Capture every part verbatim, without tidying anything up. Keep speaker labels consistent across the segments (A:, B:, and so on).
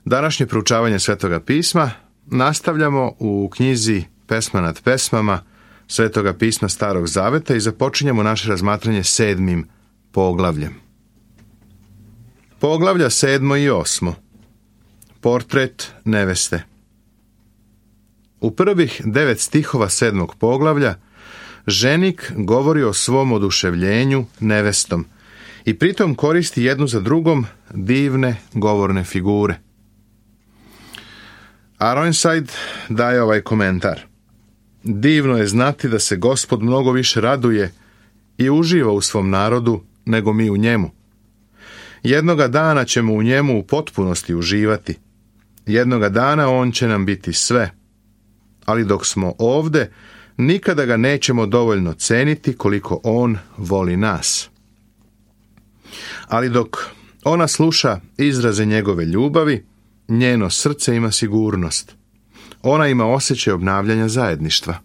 A: Današnje proučavanje Svetoga pisma nastavljamo u knjizi Pesma nad pesmama Svetoga pisma Starog zaveta i započinjemo naše razmatranje sedmim poglavljem. Poglavlja sedmo i osmo. Portret neveste. U prvih devet stihova sedmog poglavlja ženik govori o svom oduševljenju nevestom i pritom koristi jednu za drugom divne govorne figure. Ironside daje ovaj komentar. Divno je znati da se Gospod mnogo više raduje i uživa u svom narodu nego mi u njemu. Jednoga dana ćemo u njemu u potpunosti uživati. Jednoga dana on će nam biti sve. Ali dok smo ovde, nikada ga nećemo dovoljno ceniti koliko on voli nas. Ali dok ona sluša izraze njegove ljubavi, njeno srce ima sigurnost. Ona ima osjećaj obnavljanja zajedništva.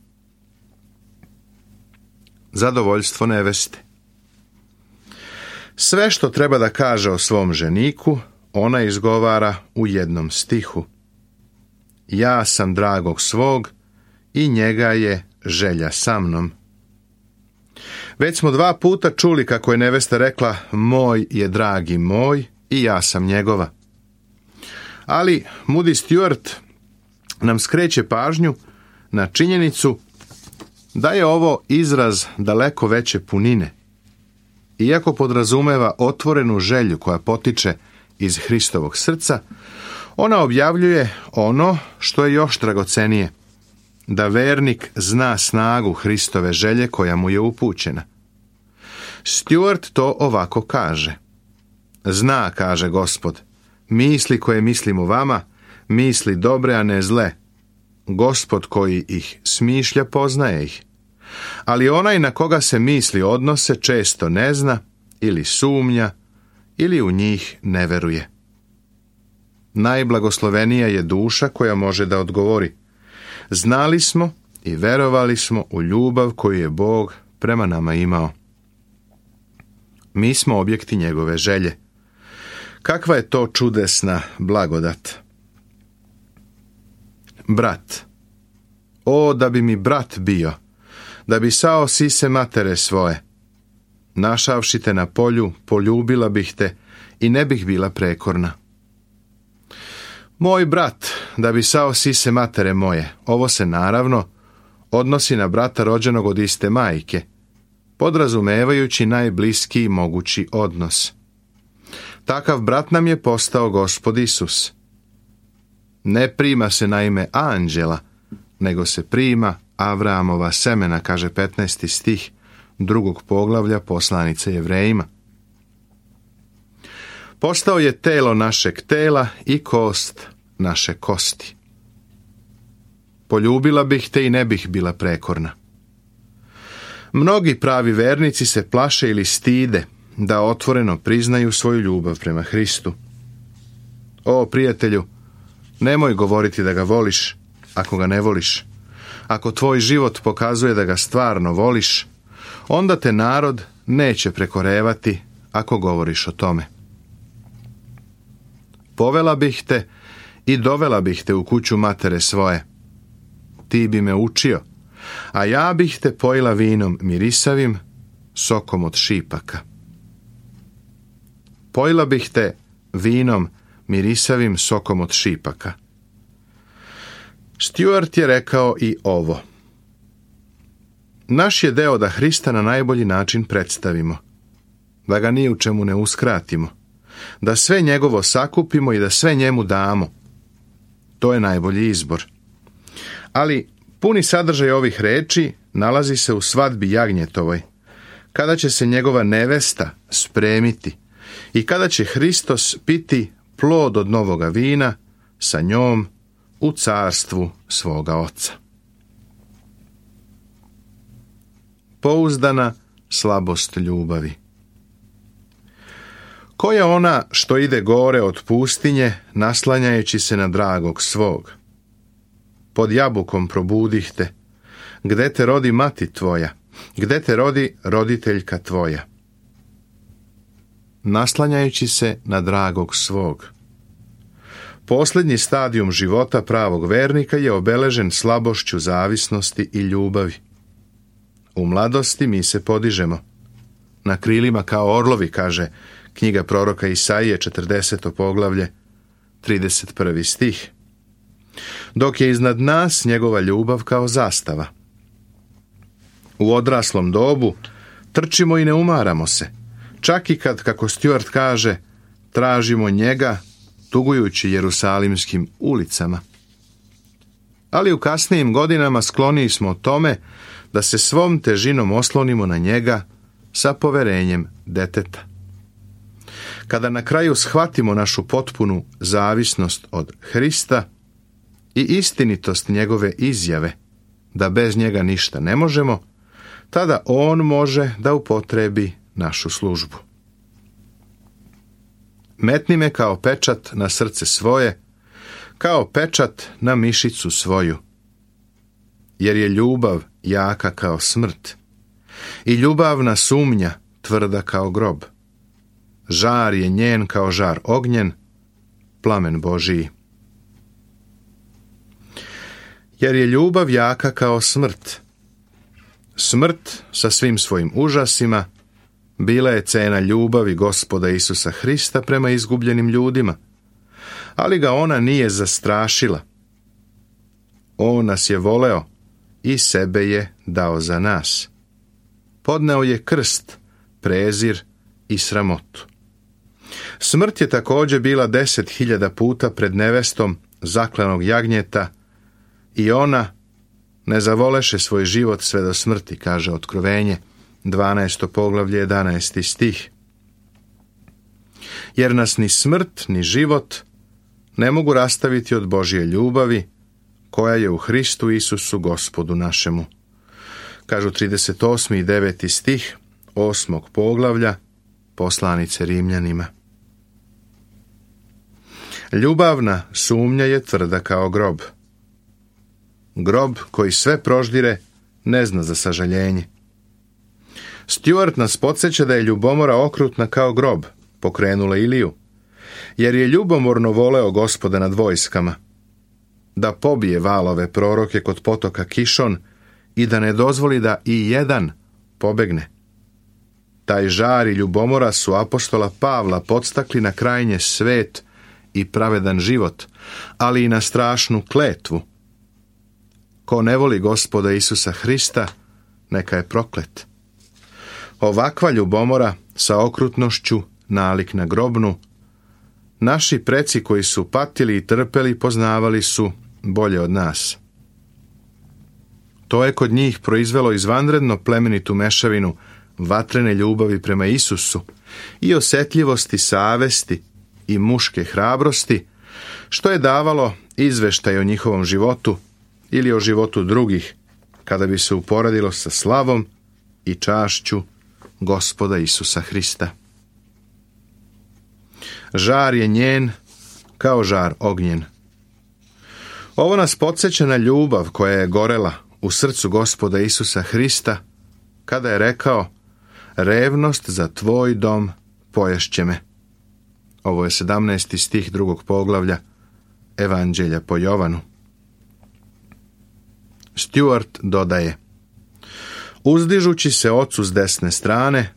A: Zadovoljstvo neveste. Sve što treba da kaže o svom ženiku, ona izgovara u jednom stihu. Ja sam dragog svog i njega je želja sa mnom. Već smo dva puta čuli kako je nevesta rekla moj je dragi moj i ja sam njegova. Ali Moody Stuart nam skreće pažnju na činjenicu da je ovo izraz daleko veće punine. Iako podrazumeva otvorenu želju koja potiče iz Hristovog srca, ona objavljuje ono što je još dragocenije, da vernik zna snagu Hristove želje koja mu je upućena. Stuart to ovako kaže. Zna, kaže Gospod, misli koje mislim o vama, misli dobre, a ne zle. Gospod koji ih smišlja, poznaje ih. Ali onaj na koga se misli odnose često ne zna, ili sumnja, ili u njih ne veruje. Najblagoslovenija je duša koja može da odgovori. Znali smo i verovali smo u ljubav koju je Bog prema nama imao. Mi smo objekti njegove želje. Kakva je to čudesna blagodat. Brat. O, da bi mi brat bio, da bi sao sise matere svoje. Našavši te na polju, poljubila bih te i ne bih bila prekorna. Moj brat, da bi sao sise matere moje. Ovo se naravno odnosi na brata rođenog od iste majke, podrazumevajući najbliskiji mogući odnos. Takav brat nam je postao Gospod Isus. Ne prima se na ime anđela, nego se prima Avraamova semena, kaže petnaesti stih drugog poglavlja poslanice Jevrejima. Postao je telo našeg tela i kost naše kosti. Poljubila bih te i ne bih bila prekorna. Mnogi pravi vernici se plaše ili stide da otvoreno priznaju svoju ljubav prema Hristu. O, prijatelju, nemoj govoriti da ga voliš ako ga ne voliš. Ako tvoj život pokazuje da ga stvarno voliš, onda te narod neće prekorevati ako govoriš o tome. Povela bih te i dovela bih te u kuću matere svoje. Ti bi me učio, a ja bih te pojila vinom mirisavim, sokom od šipaka. Pojila bih te vinom mirisavim, sokom od šipaka. Stuart je rekao i ovo. Naš je deo da Hrista na najbolji način predstavimo, da ga ni u čemu ne uskratimo, da sve njegovo sakupimo i da sve njemu damo. To je najbolji izbor. Ali puni sadržaj ovih reči nalazi se u svadbi jagnjetovoj, kada će se njegova nevesta spremiti i kada će Hristos piti plod od novoga vina sa njom u carstvu svoga Oca. Pouzdana slabost ljubavi. Ko je ona što ide gore od pustinje, naslanjajući se na dragog svog? Pod jabukom probudih te, gde te rodi mati tvoja, gde te rodi roditeljka tvoja. Naslanjajući se na dragog svog. posljednji stadijum života pravog vernika je obeležen slabošću zavisnosti i ljubavi. U mladosti mi se podižemo na krilima kao orlovi, kaže knjiga proroka Isaije, četrdeseto poglavlje, trideset prvi stih. Dok je iznad nas njegova ljubav kao zastava. U odraslom dobu trčimo i ne umaramo se, čak i kad, kako Stuart kaže, tražimo njega tugujući jerusalimskim ulicama. Ali u kasnijim godinama skloniji smo tome da se svom težinom oslonimo na njega sa poverenjem deteta. Kada na kraju shvatimo našu potpunu zavisnost od Hrista i istinitost njegove izjave da bez njega ništa ne možemo, tada on može da upotrebi našu službu. Metni me kao pečat na srce svoje, kao pečat na mišicu svoju, jer je ljubav jaka kao smrt i ljubavna sumnja tvrda kao grob. Žar je njen kao žar ognjen, plamen Božiji. Jer je ljubav jaka kao smrt. Smrt sa svim svojim užasima bila je cena ljubavi Gospoda Isusa Hrista prema izgubljenim ljudima, ali ga ona nije zastrašila. On nas je voleo i sebe je dao za nas. Podneo je krst, prezir i sramotu. Smrt je također bila deset hiljada puta pred nevestom zaklanog jagnjeta i ona ne zavoleše svoj život sve do smrti, kaže Otkrovenje, dvanaesto poglavlje, jedanaesti stih. Jer nas ni smrt, ni život ne mogu rastaviti od Božje ljubavi, koja je u Hristu Isusu Gospodu našemu. Kažu trideset osmi i deveti stih osmog poglavlja poslanice Rimljanima. Ljubavna sumnja je tvrda kao grob. Grob koji sve proždire ne zna za sažaljenje. Stuart nas podsjeća da je ljubomora okrutna kao grob, pokrenula Iliju, jer je ljubomorno voleo Gospoda nad vojskama, da pobije valove proroke kod potoka Kišon i da ne dozvoli da i jedan pobegne. Taj žar i ljubomora su apostola Pavla podstakli na krajnje svet i pravedan život, ali i na strašnu kletvu. Ko ne voli Gospoda Isusa Hrista, neka je proklet. Ovakva ljubomora sa okrutnošću nalik na grobnu, naši preci koji su patili i trpeli poznavali su bolje od nas. To je kod njih proizvelo izvanredno plemenitu mešavinu vatrene ljubavi prema Isusu i osjetljivosti savesti i muške hrabrosti, što je davalo izveštaj o njihovom životu ili o životu drugih, kada bi se uporedilo sa slavom i čašću Gospoda Isusa Hrista. Žar je njen kao žar ognjen. Ovo nas podsjeća na ljubav koja je gorela u srcu Gospoda Isusa Hrista, kada je rekao: revnost za tvoj dom poješće me. Ovo je sedamnaesti stih drugog poglavlja Evanđelja po Jovanu. Stuart dodaje: uzdižući se ocu s desne strane,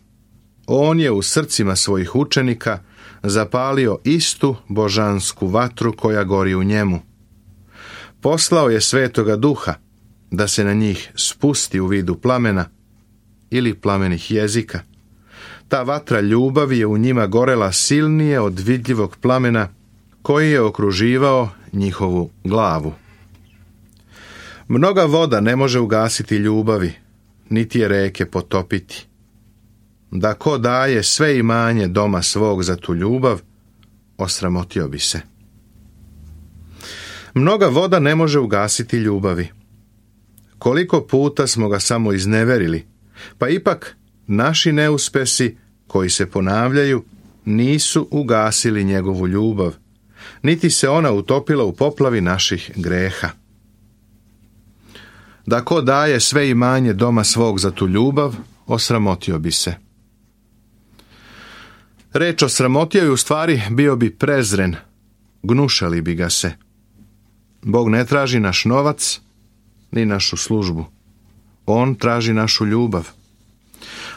A: on je u srcima svojih učenika zapalio istu božansku vatru koja gori u njemu. Poslao je Svetoga Duha da se na njih spusti u vidu plamena ili plamenih jezika. Ta vatra ljubavi je u njima gorela silnije od vidljivog plamena koji je okruživao njihovu glavu. Mnoga voda ne može ugasiti ljubavi, niti je reke potopiti. Da ko daje sve imanje doma svog za tu ljubav, osramotio bi se. Mnoga voda ne može ugasiti ljubavi. Koliko puta smo ga samo izneverili, pa ipak naši neuspesi koji se ponavljaju nisu ugasili njegovu ljubav, niti se ona utopila u poplavi naših greha. Da ko daje sve imanje doma svog za tu ljubav, osramotio bi se. Reč osramotio je u stvari bio bi prezren, gnušali bi ga se. Bog ne traži naš novac, ni našu službu. On traži našu ljubav.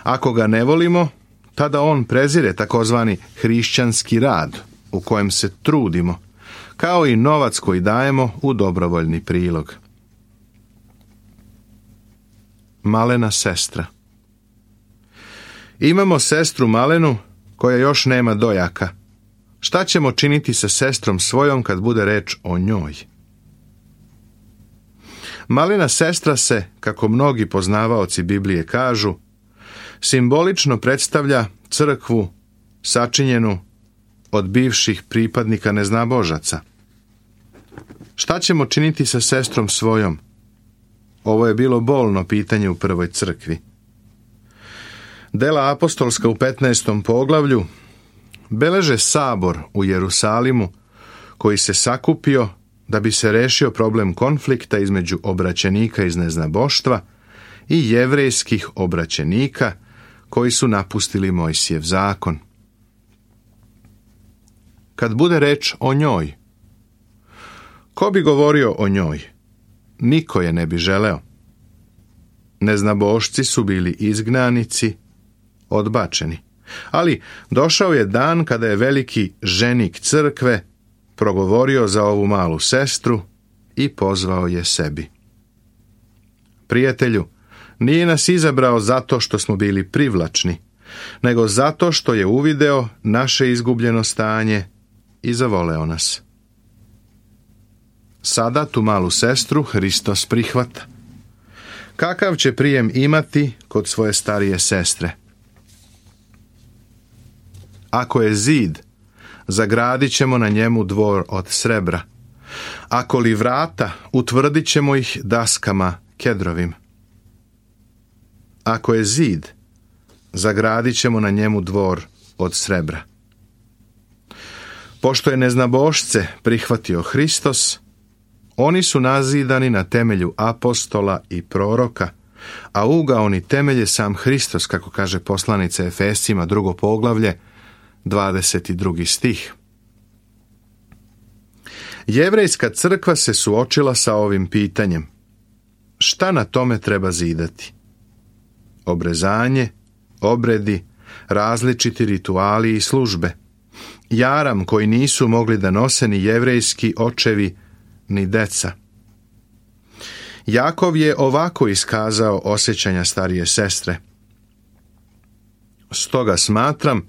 A: Ako ga ne volimo, tada on prezire takozvani hrišćanski rad u kojem se trudimo, kao i novac koji dajemo u dobrovoljni prilog. Malena sestra. Imamo sestru Malenu koja još nema dojaka. Šta ćemo činiti sa sestrom svojom kad bude reč o njoj? Malena sestra se, kako mnogi poznavaoci Biblije kažu, simbolično predstavlja crkvu sačinjenu od bivših pripadnika neznabožaca. Šta ćemo činiti sa sestrom svojom? Ovo je bilo bolno pitanje u prvoj crkvi. Dela apostolska u petnaestom poglavlju beleže sabor u Jerusalimu koji se sakupio da bi se rešio problem konflikta između obraćenika iz neznaboštva i jevrejskih obraćenika koji su napustili Mojsijev zakon. Kad bude reč o njoj, ko bi govorio o njoj? Niko je ne bi želeo. Neznabošci su bili izgnanici, odbačeni. Ali došao je dan kada je veliki ženik crkve progovorio za ovu malu sestru i pozvao je sebi. Prijatelju, nije nas izabrao zato što smo bili privlačni, nego zato što je uvideo naše izgubljeno stanje i zavoleo nas. Sada tu malu sestru Hristos prihvata. Kakav će prijem imati kod svoje starije sestre? Ako je zid, zagradit ćemo na njemu dvor od srebra. Ako li vrata, utvrdit ćemo ih daskama kedrovim. Ako je zid, zagradit ćemo na njemu dvor od srebra. Pošto je neznabošce prihvatio Hristos, oni su nazidani na temelju apostola i proroka, a ugaoni temelje sam Hristos, kako kaže poslanica Efescima, drugo poglavlje, dvadeset drugi stih. Jevrejska crkva se suočila sa ovim pitanjem. Šta na tome treba zidati? Obrezanje, obredi, različiti rituali i službe. Jaram koji nisu mogli da nose ni jevrejski očevi, ni deca. Jakov je ovako iskazao osjećanja starije sestre. Stoga smatram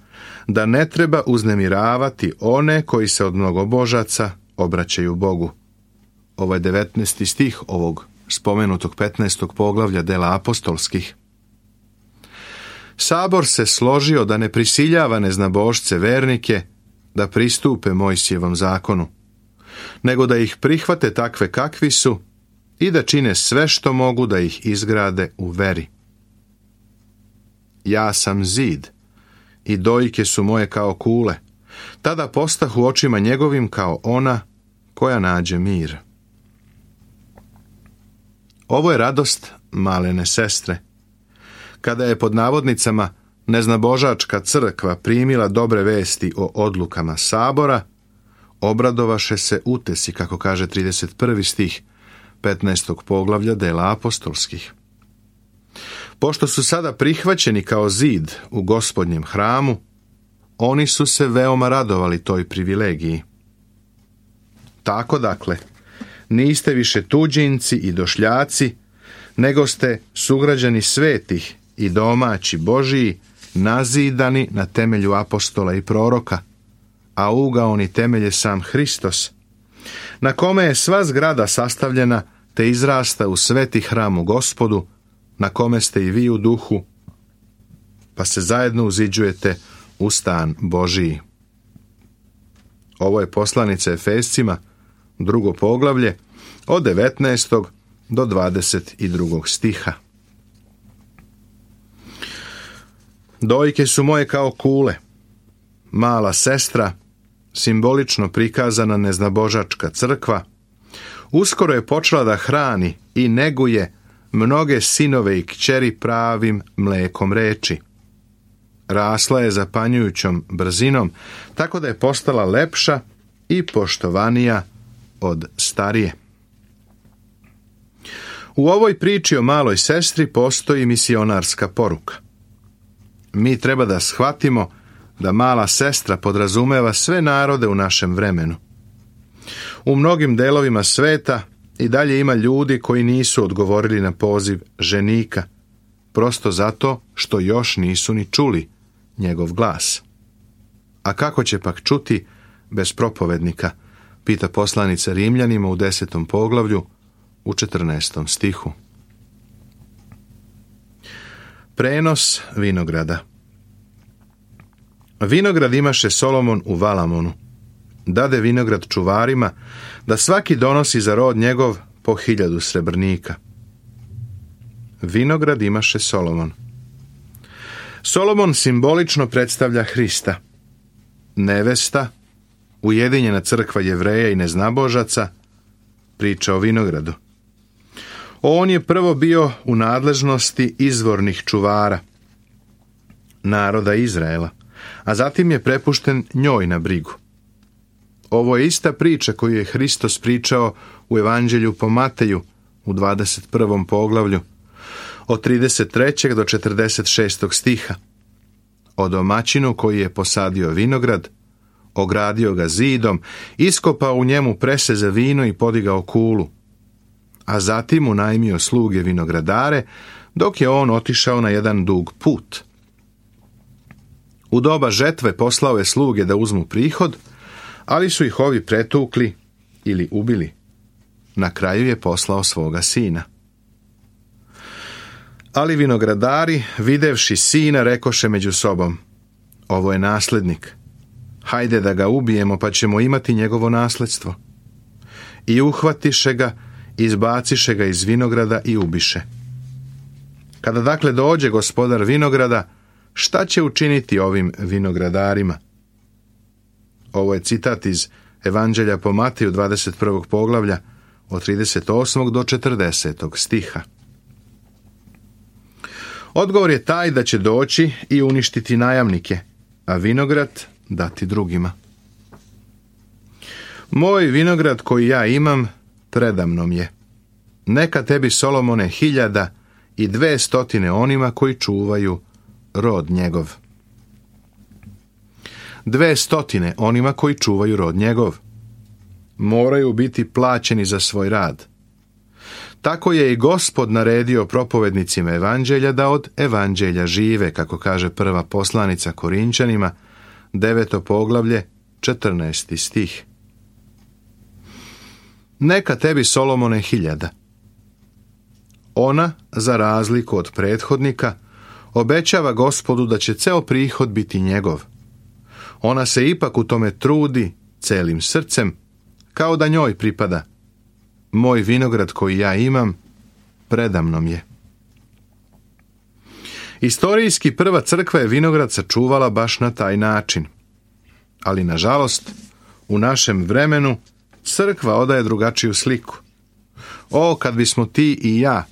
A: da ne treba uznemiravati one koji se od mnogobožaca obraćaju Bogu. Ovo je devetnaesti stih ovog spomenutog petnaestog poglavlja dela apostolskih. Sabor se složio da ne prisiljava neznabošce vernike da pristupe Mojsijevom zakonu, nego da ih prihvate takve kakvi su i da čine sve što mogu da ih izgrade u veri. Ja sam zid i dojke su moje kao kule, tada postahu očima njegovim kao ona koja nađe mir. Ovo je radost malene sestre. Kada je pod navodnicama neznabožačka crkva primila dobre vesti o odlukama sabora, obradovaše se utesi, kako kaže trideset prvi stih petnaestog poglavlja dela apostolskih. Pošto su sada prihvaćeni kao zid u Gospodnjem hramu, oni su se veoma radovali toj privilegiji. Tako dakle, niste više tuđinci i došljaci, nego ste sugrađani svetih i domaći Božiji, nazidani na temelju apostola i proroka, a ugaoni temelje sam Hristos, na kome je sva zgrada sastavljena te izrasta u sveti hram u Gospodu, na kome ste i vi u duhu, pa se zajedno uziđujete u stan Božiji. Ovo je poslanica Efescima, drugo poglavlje, od devetnaestog do dvadeset drugog stiha. Dojke su moje kao kule. Mala sestra, simbolično prikazana neznabožačka crkva, uskoro je počela da hrani i neguje mnoge sinove i kćeri pravim mlekom reči. Rasla je zapanjujućom brzinom, tako da je postala lepša i poštovanija od starije. U ovoj priči o maloj sestri postoji misionarska poruka. Mi treba da shvatimo da mala sestra podrazumeva sve narode u našem vremenu. U mnogim delovima sveta i dalje ima ljudi koji nisu odgovorili na poziv ženika, prosto zato što još nisu ni čuli njegov glas. A kako će pak čuti bez propovednika, pita poslanica Rimljanima u desetom poglavlju u četrnaestom stihu. Prenos vinograda. Vinograd imaše Solomon u Valamonu. Dade vinograd čuvarima, da svaki donosi za rod njegov po hiljadu srebrnika. Vinograd imaše Solomon. Solomon simbolično predstavlja Hrista. Nevesta, ujedinjena crkva Jevreja i neznabožaca, priča o vinogradu. On je prvo bio u nadležnosti izvornih čuvara, naroda Izraela, a zatim je prepušten njoj na brigu. Ovo je ista priča koju je Hristos pričao u Evanđelju po Mateju u dvadeset prvom poglavlju, od trideset trećeg do četrdeset šestog stiha. O domaćinu koji je posadio vinograd, ogradio ga zidom, iskopao u njemu prese za vino i podigao kulu, a zatim unajmio sluge vinogradare, dok je on otišao na jedan dug put. U doba žetve poslao je sluge da uzmu prihod, ali su ih ovi pretukli ili ubili. Na kraju je poslao svoga sina. Ali vinogradari, videvši sina, rekoše među sobom: ovo je naslednik. Hajde da ga ubijemo, pa ćemo imati njegovo nasledstvo. I uhvatiše ga, izbaciše ga iz vinograda i ubiše. Kada dakle dođe gospodar vinograda, šta će učiniti ovim vinogradarima? Ovo je citat iz Evanđelja po Mateju dvadeset prvog poglavlja od trideset osmog do četrdesetog stiha. Odgovor je taj da će doći i uništiti najamnike, a vinograd dati drugima. Moj vinograd koji ja imam predamnom je. Neka tebi, Solomone, hiljada i dve stotine onima koji čuvaju rod njegov. Dve stotine onima koji čuvaju rod njegov. Moraju biti plaćeni za svoj rad. Tako je i Gospod naredio propovednicima evanđelja da od evanđelja žive, kako kaže prva poslanica Korinčanima, deveto poglavlje, četrnaesti stih. Neka tebi, Solomone, hiljada. Ona, za razliku od prethodnika, obećava Gospodu da će ceo prihod biti njegov. Ona se ipak u tome trudi celim srcem, kao da njoj pripada. Moj vinograd koji ja imam, predamnom je. Istorijski prva crkva je vinograd sačuvala baš na taj način. Ali, nažalost, u našem vremenu crkva odaje drugačiju sliku. O, kad bismo ti i ja,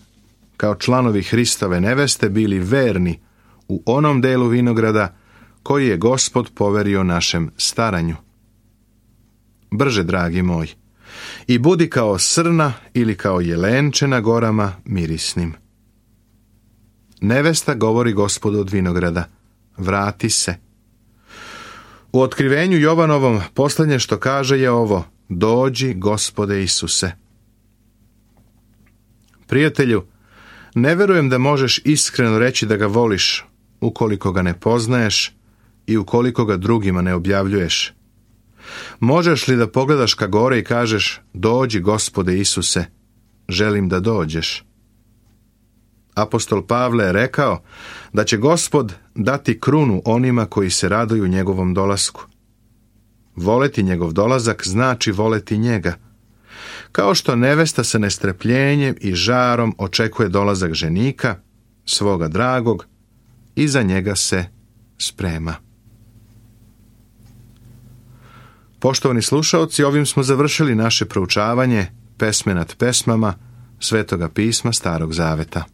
A: kao članovi Hristove neveste, bili verni u onom delu vinograda koji je Gospod poverio našem staranju. Brže, dragi moj, i budi kao srna ili kao jelenče na gorama mirisnim. Nevesta govori Gospodu od vinograda: vrati se. U otkrivenju Jovanovom posljednje što kaže je ovo: dođi, Gospode Isuse. Prijatelju, ne verujem da možeš iskreno reći da ga voliš ukoliko ga ne poznaješ i ukoliko ga drugima ne objavljuješ. Možeš li da pogledaš ka gore i kažeš: dođi, Gospode Isuse, želim da dođeš? Apostol Pavle je rekao da će Gospod dati krunu onima koji se raduju njegovom dolasku. Voleti njegov dolazak znači voleti njega. Kao što nevesta sa nestrpljenjem i žarom očekuje dolazak ženika, svoga dragog, i za njega se sprema. Poštovani slušaoci, ovim smo završili naše proučavanje pesme nad pesmama Svetoga pisma Starog Zaveta.